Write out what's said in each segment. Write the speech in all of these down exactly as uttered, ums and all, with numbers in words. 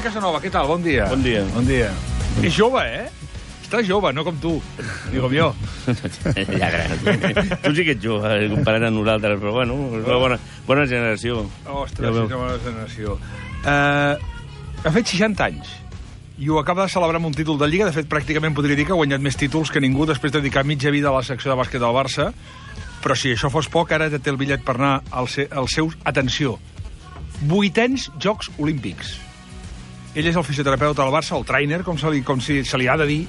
Casanova, què tal? Bon dia. Bon dia. Bon dia. És jove, eh? Estàs jove, no com tu, ni com jo. Ja gran. Tu sí que ets jove, comparat amb nosaltres, però bueno, és una bona, bona generació. Ostres, ja és una bona generació. Uh, ha fet seixanta anys i ho acaba de celebrar amb un títol de Lliga. De fet, pràcticament podria dir que ha guanyat més títols que ningú després de dedicar mitja vida a la secció de bàsquet del Barça. Però si això fos poc, ara té el bitllet per anar als seus, atenció, vuitens Jocs Olímpics. Ell és el fisioterapeuta del Barça, el trainer, com se li, com si se li ha de dir,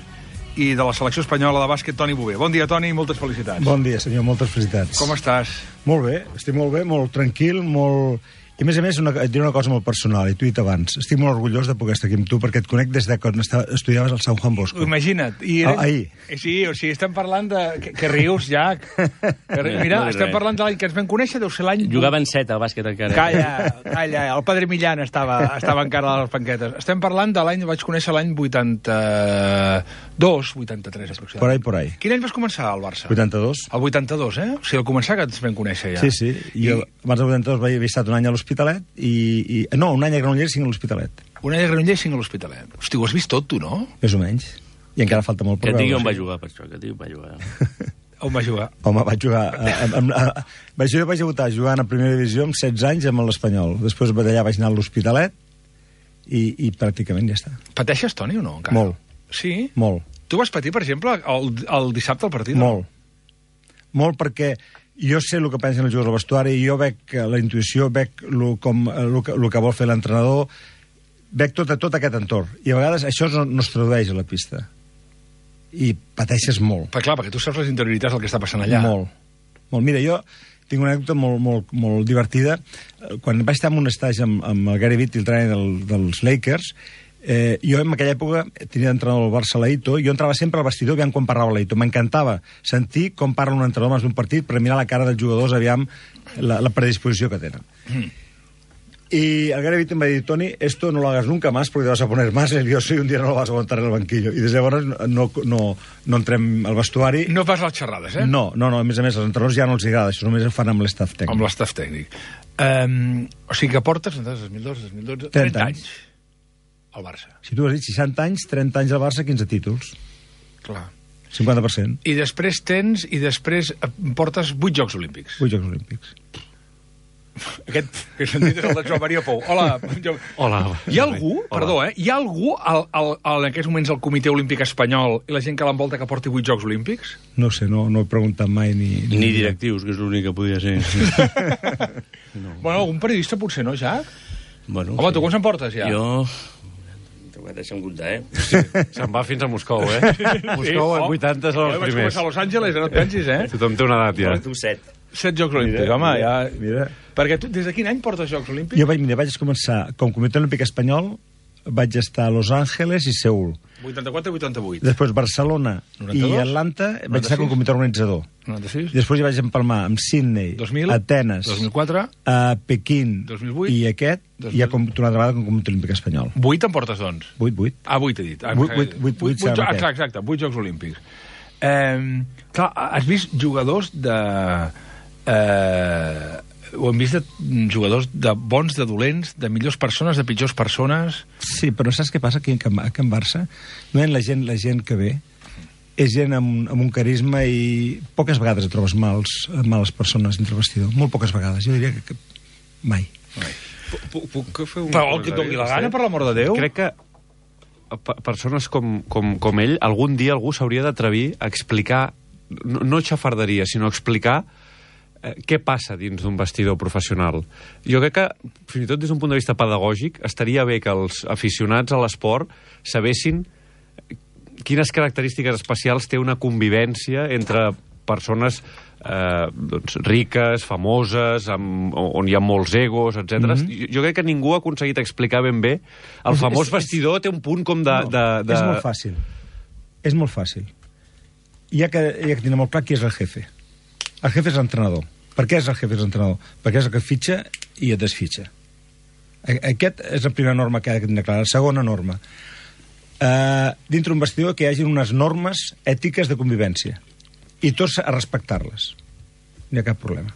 i de la selecció espanyola de bàsquet, Toni Bové. Bon dia, Toni, i moltes felicitats. Bon dia, senyor, moltes felicitats. Com estàs? Molt bé, estic molt bé, molt tranquil, molt... I, a més a més, una, et diré una cosa molt personal, i t'ho he dit abans. Estic molt orgullós de poder estar aquí amb tu, perquè et conec des de quan estudiaves al Sant Juan Bosco. Imagina't. I ah, ahir. Sí, o sigui, estem parlant de... Que, que rius, ja. Que rius. Mira, no estem parlant de l'any que ens vam conèixer, deu ser l'any... Jugaven set al bàsquet encara. Calla, calla, el Padre Millán estava, estava encara a les banquetes. Estem parlant de l'any... Vaig conèixer l'any vuitanta-dos, vuitanta-tres, aproximadament. Por ahí, por ahí. Quin any vas començar al Barça? vuitanta-dos. El vuitanta-dos, eh? O sigui, al començar que ens vam conèixer ja. Sí, sí. Jo, I... abans del vuitanta-dos vaig haver estat un any a l'Hospitalet i, i... No, un any a Granollers i cinc a l'Hospitalet. Un any a Granollers i cinc a l'Hospitalet. Hosti, ho has vist tot, tu, no? Més o menys. I encara falta molt per veure. Que et digui on sí. va jugar, per això, que et digui on va jugar. On va jugar? Home, vaig jugar... A, a, a, a, vaig, jo vaig debutar jugant a primera divisió amb setze anys amb l'Espanyol. Després d'allà vaig anar a l'Hospitalet i, i pràcticament ja està. Pateixes, Toni, o no? Encara? Molt. Sí? Molt. Tu vas patir, per exemple, el, el dissabte al partit? Molt. Molt, perquè jo sé el que pensen els jugadors al vestuari, i jo veig la intuïció, veig lo, com, el que, lo que vol fer l'entrenador, veig tot, tot aquest entorn. I a vegades això no, no es tradueix a la pista. I pateixes molt. Però clar, perquè tu saps les interioritats del que està passant allà. Molt. Molt. Mira, jo tinc una anècdota molt, molt, molt divertida. Quan vaig estar en un estatge amb, amb el Gary Vitt, el trainer del, dels Lakers, eh, jo en aquella època tenia d'entrenador el Barça Leito, i jo entrava sempre al vestidor aviam quan parlava Leito. M'encantava sentir com parla un entrenador abans d'un partit per mirar la cara dels jugadors aviam la, la predisposició que tenen. Mm. Y el Gary Vitt me dijo, Toni, esto no lo hagas nunca más porque te vas a poner más nervioso y un día no lo vas a aguantar en el banquillo. I des de llavors no, no, no entrem al vestuari. No fas les xerrades, eh? No, no, no, a més a més, els entrenadors ja no els agrada, això només ho fan amb l'estaf tècnic. Amb l'estaf tècnic. Um, o sigui que portes, dos mil dos, dos mil dotze, trenta anys al Barça. Si tu has dit seixanta anys, trenta anys al Barça, quinze títols. Clar. cinquanta per cent. I després tens, i després portes vuit Jocs Olímpics. Vuit Jocs Olímpics. Aquest que he sentit és el de Joan Maria Pou. Hola. Hola. Hi ha algú, Hola. perdó, eh? Hi ha algú al, al, al, en aquests moments al Comitè Olímpic Espanyol i la gent que l'envolta que porti vuit Jocs Olímpics? No sé, no, no he preguntat mai ni... Ni, ni directius, que és l'únic que podia ser. no. Bueno, algun periodista potser no, Jack? Bueno, Home, sí. tu quants en portes ja? Jo... Deixa'm comptar, eh? Sí, se'n va fins a Moscou, eh? Moscou, sí, oh, vuitanta són els primers. Vaig començar a Los Angeles, no et pensis, eh? Tothom té una edat, ja. Tu set. Set Jocs Olímpics, mira, home, mira, ja... Mira. Perquè tu, des de quin any portes Jocs Olímpics? Jo vaig, mira, vaig començar, com Comitè Olímpic Espanyol, vaig estar a Los Angeles i Seül. vuitanta-quatre i vuitanta-vuit. Després Barcelona noranta-dos, i Atlanta vaig noranta-sis, estar com a comitè organitzador. noranta-sis. Després hi vaig empalmar amb Sydney, dos mil, Atenes, dos mil quatre, a Pequín dos mil vuit, i aquest, dos mil... i ja com una altra vegada com a Comitè Olímpic Espanyol. Vuit en portes, doncs? Vuit, vuit. Ah, vuit he dit. Ah, vuit, vuit, vuit, vuit, vuit, ah, clar, exacte, vuit Jocs Olímpics. Eh, clar, has vist jugadors de... Eh, ho hem vist de jugadors de bons, de dolents, de millors persones, de pitjors persones... Sí, però saps què passa aquí en, aquí en Barça? No la gent, la gent que ve és gent amb, amb un carisma i poques vegades et trobes mals, males persones entre el vestidor. Molt poques vegades. Jo diria que, que mai. mai. Puc, puc fer un... Però el que et doni la gana, per l'amor de Déu. Crec que persones com, com, com ell, algun dia algú s'hauria d'atrevir a explicar, no, no xafarderia, sinó explicar eh, què passa dins d'un vestidor professional. Jo crec que, fins i tot des d'un punt de vista pedagògic, estaria bé que els aficionats a l'esport sabessin quines característiques especials té una convivència entre persones eh, doncs, riques, famoses, amb, on hi ha molts egos, etcètera. Mm-hmm. Jo, jo crec que ningú ha aconseguit explicar ben bé. El és, famós és, vestidor té un punt com de... No, de, de... És molt fàcil. És molt fàcil. Hi ha que, hi ha que tenir molt clar qui és el jefe. El jefe és l'entrenador. Per què és el jefe és l'entrenador? Perquè és el que fitxa i et desfitxa. Aquest és la primera norma que ha de tenir clara. La segona norma. Uh, dintre un vestidor que hi hagi unes normes ètiques de convivència i tots a respectar-les. No hi ha cap problema.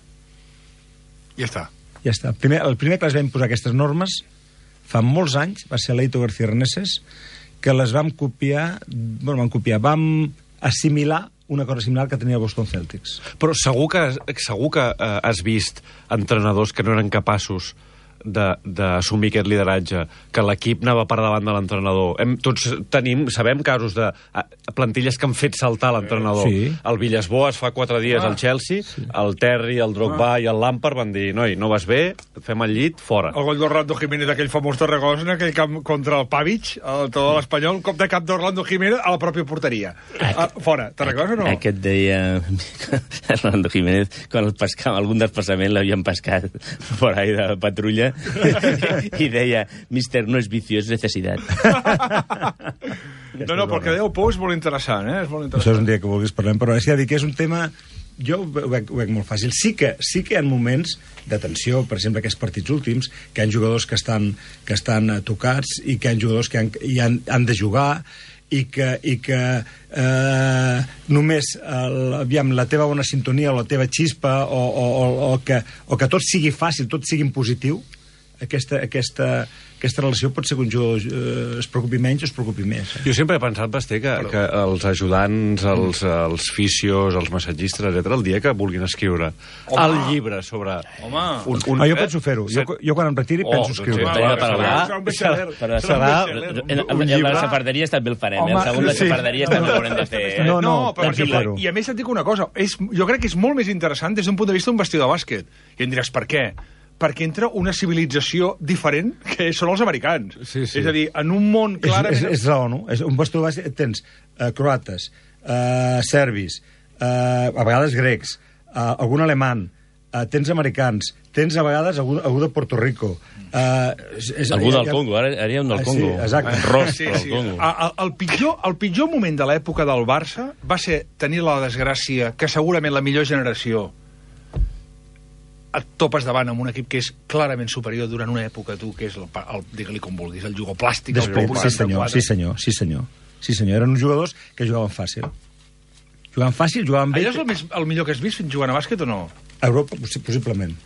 Ja està. Ja està. Primer, el primer que les vam posar aquestes normes fa molts anys, va ser l'Eito García Reneses, que les vam copiar, bueno, vam copiar, vam assimilar una cosa similar que tenia Boston Celtics. Però segur que, segur que eh, has vist entrenadors que no eren capaços d'assumir aquest lideratge, que l'equip anava per davant de l'entrenador. Hem, tots tenim, sabem casos de a, plantilles que han fet saltar l'entrenador. Sí. El Villas-Boas fa quatre dies ah, al Chelsea, sí. El Terry, el Drogba ah. i el Lampard van dir, noi, no vas bé, fem el llit, fora. El gol d'Orlando Jiménez d'aquell famós Torregosa en aquell camp contra el Pavic, el tot l'Espanyol, un cop de cap d'Orlando Jiménez a la pròpia porteria. Ah, fora. Te'n recordes o no? Aquest deia Orlando Jiménez, quan el pescava, algun desplaçament l'havien pescat por ahí de patrulla, i deia, mister, no és vicio, és necessitat. No, no, perquè deu por és molt interessant, eh? És molt interessant. Això és un dia que vulguis parlem, però és que, dir que és un tema... Jo ho veig, ho veig molt fàcil. Sí que, sí que hi ha moments de tensió, per exemple, aquests partits últims, que hi ha jugadors que estan, que estan tocats i que hi ha jugadors que han, hi han, han de jugar i que, i que eh, només el, aviam, la teva bona sintonia o la teva xispa o, o, o, o, que, o que tot sigui fàcil, tot sigui en positiu, aquesta, aquesta, aquesta relació pot ser que un jugador eh, es preocupi menys o es preocupi més. Eh? Jo sempre he pensat, Basté, que, que els ajudants, els, els fisios, els massatgistes, etcètera, el dia que vulguin escriure Home. el llibre sobre... Home. Un, un, ah, jo penso fer-ho. Jo, jo quan em retiri oh, penso escriure. Doncs serà, serà, serà, serà, el de la xafarderia també el farem. Home, el segon de xafarderia també l'haurem de fer. No, no, però perquè, i a més et dic una cosa, és, jo crec que és molt més interessant des d'un punt de vista d'un vestidor de bàsquet. I em diràs, per què? Perquè entra una civilització diferent que són els americans. Sí, sí. És a dir, en un món clarament... És, és, és raó, no? És un vestidor bàsquet, tens uh, croates, uh, serbis, uh, a vegades grecs, uh, algun alemany, uh, tens americans, tens a vegades algú, algú de Puerto Rico. Uh, és, és, algú del ja, Congo, ara hi ha un del uh, Congo. Sí, exacte. Ros, sí, del sí. Congo. El, el, pitjor, el pitjor moment de l'època del Barça va ser tenir la desgràcia que segurament la millor generació et topes davant amb un equip que és clarament superior durant una època, tu, que és, el, el digue-li com vulguis, el jugoplàstic, el Pou sí, senyor, sí, senyor, sí, senyor. Sí, senyor. Eren uns jugadors que jugaven fàcil. Jugaven fàcil, jugaven bé... Allò és el, més, el millor que has vist jugant a bàsquet o no? A Europa, possiblement.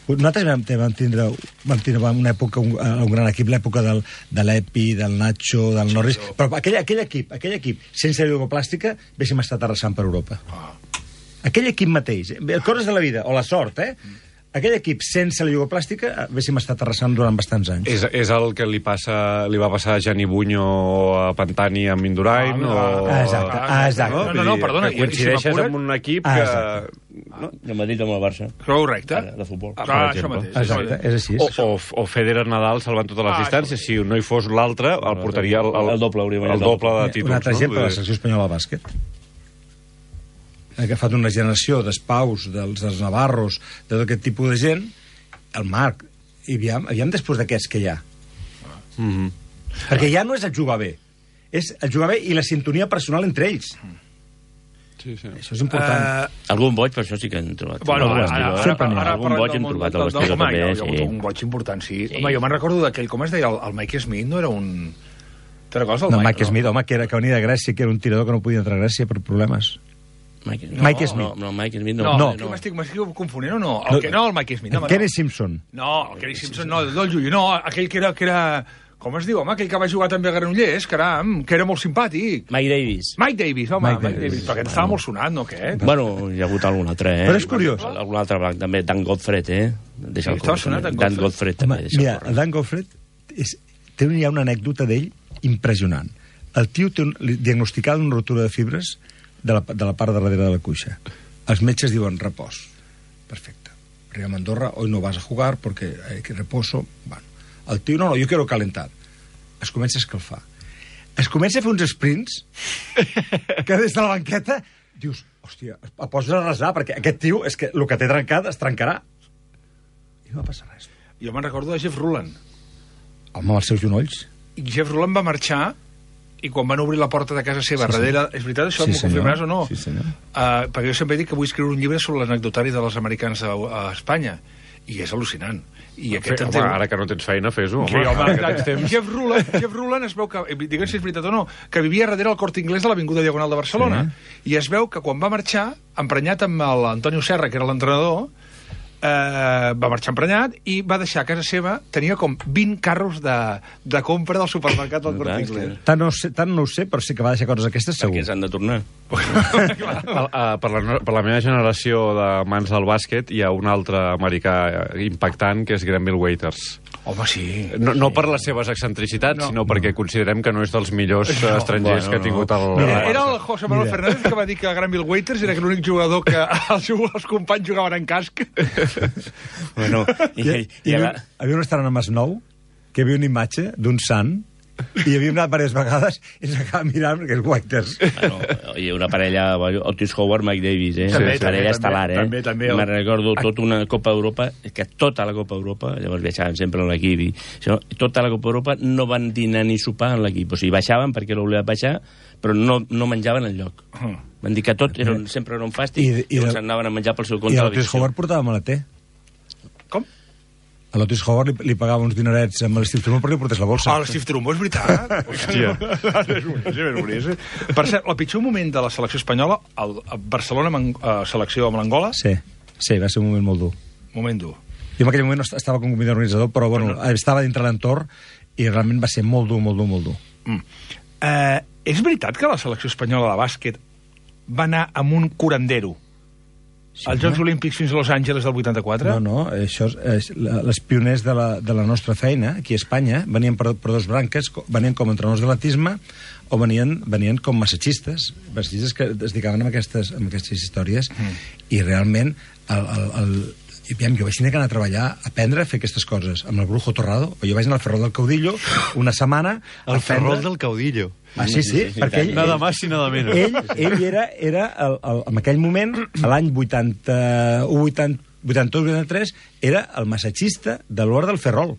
Nosaltres vam, vam, tindre, vam tindre una època, un, un gran equip, l'època del, de l'Epi, del Nacho, del Norris, però aquell, aquell equip, aquell equip, sense jugoplàstica, haguéssim estat arrasant per Europa. Ah. Aquell equip mateix, coses de la vida, o la sort, eh? Aquell equip sense la jugoplàstica haguéssim estat arrasant durant bastants anys. És, és el que li, passa, li va passar a Gianni Buño a Pantani amb Indurain? Ah, o... ah, exacte, ah, exacte. No, no, no, perdona. Que coincideixes si amb un equip ah, que... No? El Madrid amb el Barça. Correcte. Ara, de futbol. Ah, ah, això mateix. Exacte, és així. O, o, o Federer Nadal salvant totes les ah, distàncies. Si no hi fos l'altre, el portaria el, el, el doble, hauria el doble de títols. Un altre exemple, no? la selecció espanyola de bàsquet. Ha agafat una generació d'espaus, dels, dels navarros, de tot aquest tipus de gent, el Marc, i aviam, aviam després d'aquests que hi ha. Mm -hmm. Perquè ja no és el jugar bé, és el jugar bé i la sintonia personal entre ells. Sí, sí. Això és important. Uh, algun boig, per això sí que hem trobat. Bueno, no, ara, ara, ara, sempre ara, ara algun boig hem trobat al vestidor també. Hi ha Sí. hagut un boig important, sí. Sí. Home, jo me'n recordo d'aquell, com es deia, el, el Mike Smith no era un... Te recordes del No, Mike, Mike no? Smith, home, que, era, que venia de Grècia, que era un tirador que no podia entrar a Grècia per problemes. Mike, no, Mike Smith. No, no, Mike Smith no. No, No. no. M'estic confonent o no? El que, no, el Mike Smith. No, Kenny no. Simpson. No, el Kenny Simpson no, el del Llull. No, aquell que era, que era... Com es diu, home? Aquell que va jugar també a Granollers, caram, que era molt simpàtic. Mike Davis. Mike Davis, home, Mike Mike, Davis. Davis. Perquè estava molt sonat, no, aquest? Bueno, hi ha hagut algun altre, eh? Però és curiós. Algun altre blanc, també. Dan Godfred, eh? Deixa Sí, estava sonat, Dan Dan Godfred. Godfred, Home, també. Deixa mira, el Dan Godfred és, té, hi ha una anècdota d'ell impressionant. El tio té un, li diagnosticada una rotura de fibres de la, de la part de darrere de la cuixa. Els metges diuen repòs. Perfecte. Arriba a Andorra, hoy no vas a jugar porque hay que reposo. Bueno, el tio, no, no, yo quiero calentar. Es comença a escalfar. Es comença a fer uns sprints que des de la banqueta dius, hòstia, el poses a resar perquè aquest tio, és que el que té trencat es trencarà. I no va passar res. Jo me'n recordo de Jeff Ruland. Home, amb els seus genolls. I Jeff Ruland va marxar i quan van obrir la porta de casa seva, Sí, darrere... És veritat, això Sí, m'ho senyor. confirmaràs o no? Sí, senyor. Uh, perquè jo sempre he dit que vull escriure un llibre sobre l'anecdotari de les americans a, a Espanya. I és al·lucinant. I aquest Home, entén... ara que no tens feina, fes-ho. Sí, home, Ara que tens temps. Jeff Ruland, Jeff Ruland es veu que, digue'm si és veritat o no, que vivia darrere el Corte Inglés de l'Avinguda Diagonal de Barcelona. Sí. I es veu que quan va marxar, emprenyat amb l'Antonio Serra, que era l'entrenador, eh, va marxar emprenyat i va deixar a casa seva, tenia com vint carros de, de compra del supermercat del Corte Inglés. Tant no, sé, tant no ho sé, però sí que va deixar coses aquestes, segur. Perquè s'han de tornar. Per, uh, per, la, per la meva generació de mans del bàsquet hi ha un altre americà impactant, que és Granville Waiters. Home, sí. No, no per les seves excentricitats, No. sinó perquè considerem que no és dels millors No, estrangers bueno, que ha tingut el... Mira, el era Barça. el José Manuel Mira. Fernández que va dir que Granville Waiters era l'únic jugador que els, els companys jugaven en casc. Bueno, i, Hi, i, hi, i havia, ara... havia un restaurant a Masnou que hi havia una imatge d'un sant i hi havíem anat diverses vegades i ens acabàvem mirant perquè és Waiters. Bueno, i una parella, Otis Howard, Mike Davis, eh? També, Una parella també, estel·lar, eh? també, també. Me'n recordo tota una Copa Europa, que tota la Copa Europa, llavors viatjaven sempre en l'equip, i això, tota la Copa Europa no van dinar ni sopar en l'equip, o sigui, baixaven perquè l'ho volien baixar, però no, no menjaven enlloc. Uh. Van dir que tot era, un- sempre era un fàstic, I- i, i llavors de- anaven a menjar pel seu I compte a l'Otis l'habitació. Howard portava maleter. Com? A l'Otis Howard li, li pagava uns dinerets amb l'Steve Trumbo perquè li portés la bolsa. Ah, l'Steve Trumbo, és veritat. Hòstia. és boníssim, és boníssim. Per cert, el pitjor moment de la selecció espanyola, el, el Barcelona amb, eh, selecció amb l'Angola, Sí, sí, va ser un moment molt dur. moment dur. Jo en aquell moment no est- estava com comitè organitzador, però bueno, estava dintre l'entorn i realment va ser molt dur, molt dur, molt dur. Mm. Eh, és veritat que la selecció espanyola de bàsquet va anar amb un curandero Sí, als Jocs Olímpics fins a Los Angeles del vuitanta-quatre? No, no, això és, és, la- les pioners de la, de la nostra feina, aquí a Espanya, venien per, per dos branques, co- venien com a entrenadors d'atletisme o venien, venien com massatgistes, massatgistes que es dedicaven a aquestes, a aquestes històries, mm. i realment el, el, el, i, aviam, jo vaig tenir que anar a treballar, a aprendre a fer aquestes coses, amb el Brujo Torrado, o jo vaig anar al Ferrol del Caudillo una setmana a El Ferrol aprendre... del Caudillo. Ah, sí, sí, Sí, sí, perquè sí, ell, Nada más i nada menos. ell, ell era, era el, el, en aquell moment, a l'any vuitanta-u, vuitanta, vuitanta-dos, vuitanta-tres, era el massatgista de l'Hora del Ferrol.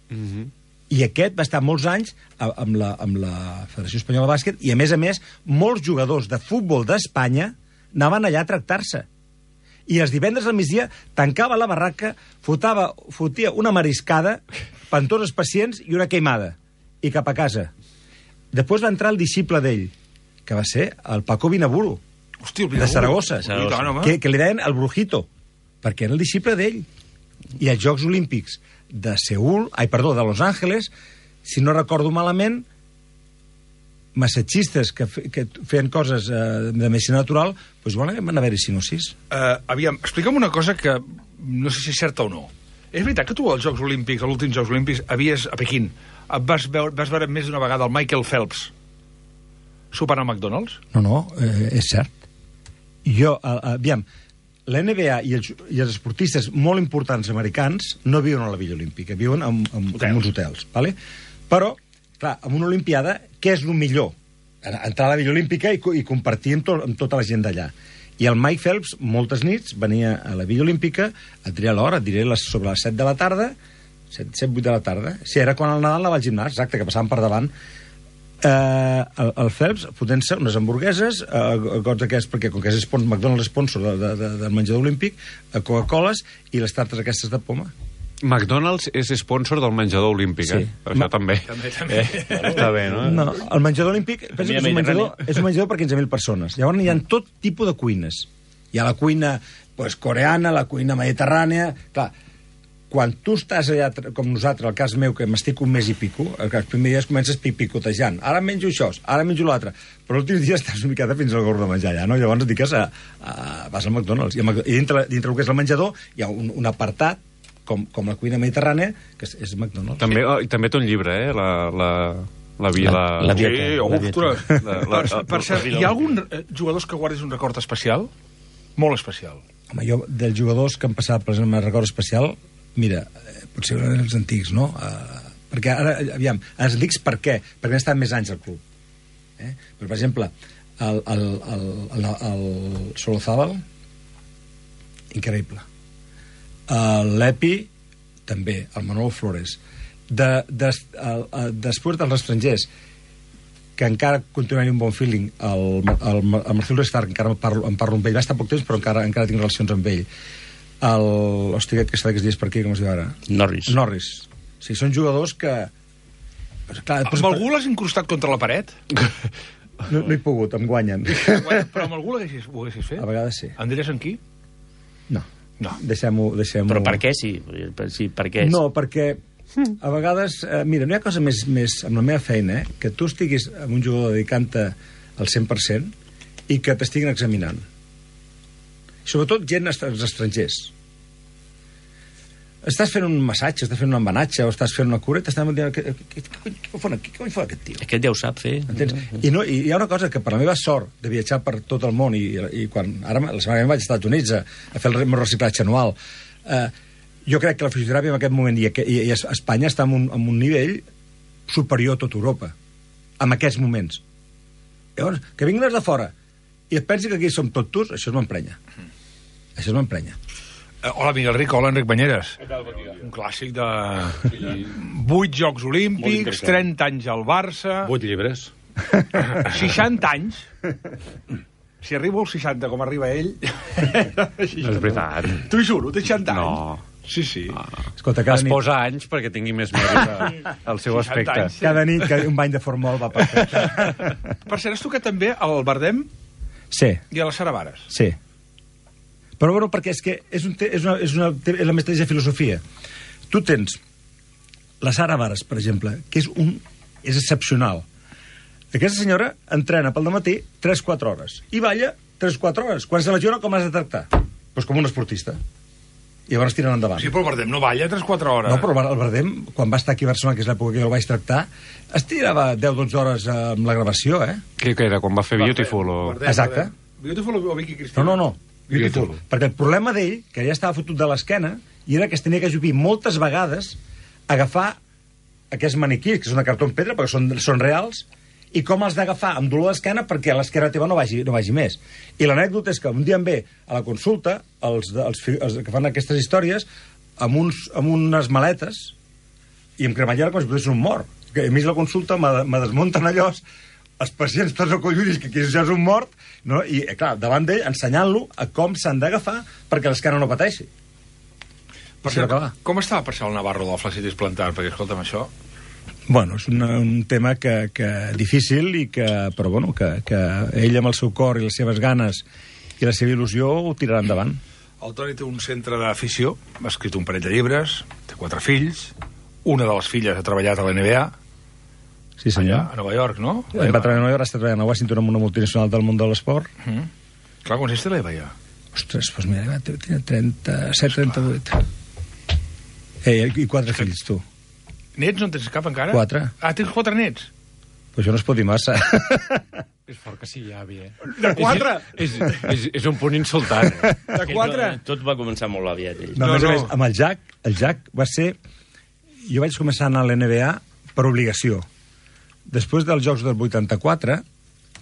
Mm -hmm. I aquest va estar molts anys a- amb la, amb la Federació Espanyola de Bàsquet i, a més a més, molts jugadors de futbol d'Espanya anaven allà a tractar-se. I els divendres al migdia tancava la barraca, fotava, fotia una mariscada per tots els pacients i una queimada. I cap a casa. Després va entrar el disciple d'ell, que va ser el Paco Vinaburo, Hòstia, el de Saragossa, I tant, home. que, que li deien el Brujito, perquè era el disciple d'ell. I als Jocs Olímpics de Seül, ai, perdó, de Los Angeles, si no recordo malament, massatgistes que, fe, que feien coses eh, de medicina natural, doncs bueno, van haver-hi sinosis. Uh, aviam, explica'm una cosa que no sé si és certa o no. És veritat que tu als Jocs Olímpics, als últims Jocs Olímpics, havies, a Pequín, et vas veure, vas veure més d'una vegada el Michael Phelps sopant al McDonald's? No, no, eh, és cert. Jo, eh, aviam, la N B A i els, i els esportistes molt importants americans no viuen a la Villa Olímpica, viuen en, en, en uns hotels, ¿vale? Però, clar, en una Olimpiada, què és el millor? Entrar a la Villa Olímpica i, i compartir amb, to, amb tota la gent d'allà. I el Mike Phelps, moltes nits, venia a la Villa Olímpica, et diré l'hora, et diré les, sobre les set de la tarda, set, set, vuit de la tarda. Sí, era quan al Nadal anava al gimnàs, exacte, que passaven per davant. Eh, el, el Phelps fotent-se unes hamburgueses, eh, gots aquests, perquè com que és sponsor, McDonald's sponsor de, de, de, del menjador olímpic, eh, Coca-Coles i les tartes aquestes de poma. McDonald's és sponsor del menjador olímpic, Sí. eh? Això Ma- també. També, també. Eh, està bé, no? No, el menjador olímpic penso que és un Mediterrani. menjador, és un menjador per quinze mil persones. Llavors hi ha tot tipus de cuines. Hi ha la cuina pues, coreana, la cuina mediterrània... Clar, quan tu estàs allà, tra- com nosaltres, el cas meu, que m'estic un mes i pico, el, els primers dies comences pi- picotejant. Ara menjo això, ara menjo l'altre. Però l'últim dia estàs una miqueta fins al gorg de menjar allà, no? Llavors et dediques a, a... vas al McDonald's. I, a Mc- i dintre, dintre el que és el menjador hi ha un, un apartat com, com la cuina mediterrània, que és, és McDonald's. També, oh, i també té un llibre, eh? La, la, la vila... La- la dieta. Sí, la ostres. La- la- Per, per cert, hi ha algun eh, jugadors que guardis un record especial? Molt especial. Home, jo, dels jugadors que han passat per exemple, el record especial, mira, eh, potser eren els antics, no? Uh, perquè ara, aviam, els antics per què? Perquè han estat més anys al club. Eh? Però, per exemple, el, el, el, el, el Solozábal, increïble. L'Epi, també, el Manolo Flores. De, de, el, el, després dels estrangers, que encara continuaria un bon feeling, el, el, el Marcelo Stark, encara em parlo, em parlo amb ell, va estar poc temps, però encara, encara tinc relacions amb ell. El, hòstia, aquest que està aquests dies per aquí, com es diu ara? Norris. Norris. Sí, són jugadors que... Però, clar, Amb algú l'has incrustat contra la paret? no, no he pogut, em guanyen. Però amb algú l'haguessis- ho haguessis fet? A vegades sí. Em diries en qui? No. No. Deixem-ho... Deixem Però per què sí? Sí, per què? No, perquè a vegades... Eh, mira, no hi ha cosa més, més amb la meva feina, eh, que tu estiguis amb un jugador dedicant-te al cent per cent i que t'estiguin examinant. Sobretot gent est- els estrangers. Estàs fent un massatge, estàs fent un embenatge o estàs fent una cura i t'estan dient què, què, què, què, fa aquí? Què fa aquest tio? Aquest ja ho sap fer. Entens? I, no, I hi ha una cosa que per la meva sort de viatjar per tot el món i, i quan ara la setmana que ve vaig als Estats Units a, a fer el meu reciclatge anual, eh, jo crec que la fisioteràpia en aquest moment i, i, i Espanya està en un, en un nivell superior a tota Europa en aquests moments. Llavors, que vinguin els de fora i et pensi que aquí som tot tus, això es m'emprenya. Això es m'emprenya. Uh, hola, Miguel Rico. Hola, Enric Banyeres. Un clàssic de... vuit Jocs Olímpics, trenta anys al Barça... Vuit llibres. seixanta anys. Si arribo als seixanta, com arriba ell... No és veritat. T'ho juro, té seixanta anys. No. Sí, sí. Escolta, cada Es nit, posa anys perquè tingui més mèrit al seu seixanta aspecte. anys. cada nit que un bany de formol va perfecte. Per cert, has tocat també al Bardem Sí, i a les Saravares. sí. Però bueno, perquè és que és, un, te- és, una, és, una, és la mateixa filosofia. Tu tens la Sara Vares, per exemple, que és, un, és excepcional. Aquesta senyora entrena pel dematí tres quatre hores i balla tres quatre hores. Quan se lesiona, com has de tractar? Doncs com un esportista. I llavors tiren endavant. Sí, però el Bardem no balla tres quatre hores. No, però el Bardem, quan va estar aquí a Barcelona, que és l'època que jo el vaig tractar, es tirava deu dotze hores amb la gravació, eh? Què que era, quan va fer Beautiful? O... Bardem, Exacte. Bardem. Beautiful o Vicky Cristina? No, no, no. Beautiful. Beautiful. Perquè el problema d'ell, que ja estava fotut de l'esquena, i era que es tenia que ajupir moltes vegades a agafar aquests maniquís, que són de cartó en pedra, perquè són, són reals, i com els d'agafar amb dolor d'esquena perquè l'esquena teva no vagi, no vagi més. I l'anècdota és que un dia em ve a la consulta, els, de- els, fi- els que fan aquestes històries, amb, uns, amb unes maletes, i em cremallera com si fos un mort. Que a mi la consulta me, me desmunten allò, els pacients tots acolludis que aquí ja és un mort, no? I, eh, clar, davant d'ell, ensenyant-lo a com s'han d'agafar perquè l'esquena no pateixi. Per I s'ha cert, d'acabar. com estava per ser el Navarro del flacitis plantar? Perquè, escolta'm, això... Bueno, és una, un tema que, que difícil, i que, però bueno, que, que ell amb el seu cor i les seves ganes i la seva il·lusió ho tirarà endavant. El Toni té un centre d'afició, ha escrit un parell de llibres, té quatre fills, una de les filles ha treballat a la N B A, Sí, allà, senyor. a Nova York, no? Ell va treballar a Nova York, està treballant a Washington amb una multinacional del món de l'esport. Mm. Clar, quants anys té l'Eva, ja? Ostres, doncs mira, va, tenia trenta-set, trenta-vuit. Eh, i quatre fills, tu. Nets no en tens cap encara? Quatre. Ah, tens quatre nets? Pues això no es pot dir massa. És fort que sigui avi, eh? De quatre? És, és, és, és un punt insultant. Eh? De quatre? Tot va començar molt aviat, ell. No, No, a més a no. més, amb el Jack, el Jack va ser... Jo vaig començar a anar a l'N B A per obligació. Després dels Jocs del vuitanta-quatre,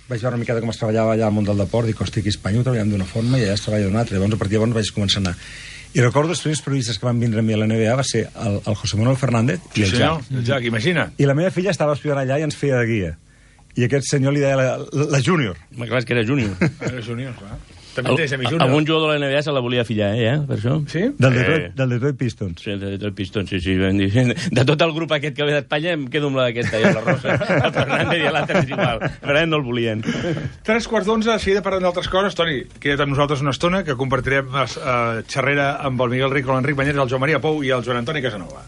vaig veure una miqueta com es treballava allà al món del deport, dic, hosti, aquí a Espanya ho treballem d'una forma i allà es treballa d'una altra. Llavors, a partir de llavors vaig començar a anar. I recordo els primers periodistes que van vindre a mi a l'N B A va ser el, el José Manuel Fernández i el senyor, Jack. el Jack, imagina. I la meva filla estava estudiant allà i ens feia de guia. I aquest senyor li deia la, la, la júnior. Home, clar, és que era júnior. Era júnior, clar. També tens a mi júnior. Algun jugador de la N B A se la volia fillar, eh, ja, per això. Sí? Del Eh. Detroit, del Detroit Pistons. Sí, de, de Pistons, sí, sí. Van dir, de tot el grup aquest que ve d'Espanya em quedo amb la d'aquesta, ja, la Rosa. El Fernández i l'altre és igual. Fernández no el volien. Tres quarts d'onze, de seguida parlem d'altres coses. Toni, queda't amb nosaltres una estona, que compartirem eh, xerrera amb el Miguel Rico, l'Enric Banyeres, el Joan Maria Pou i el Joan Antoni Casanova.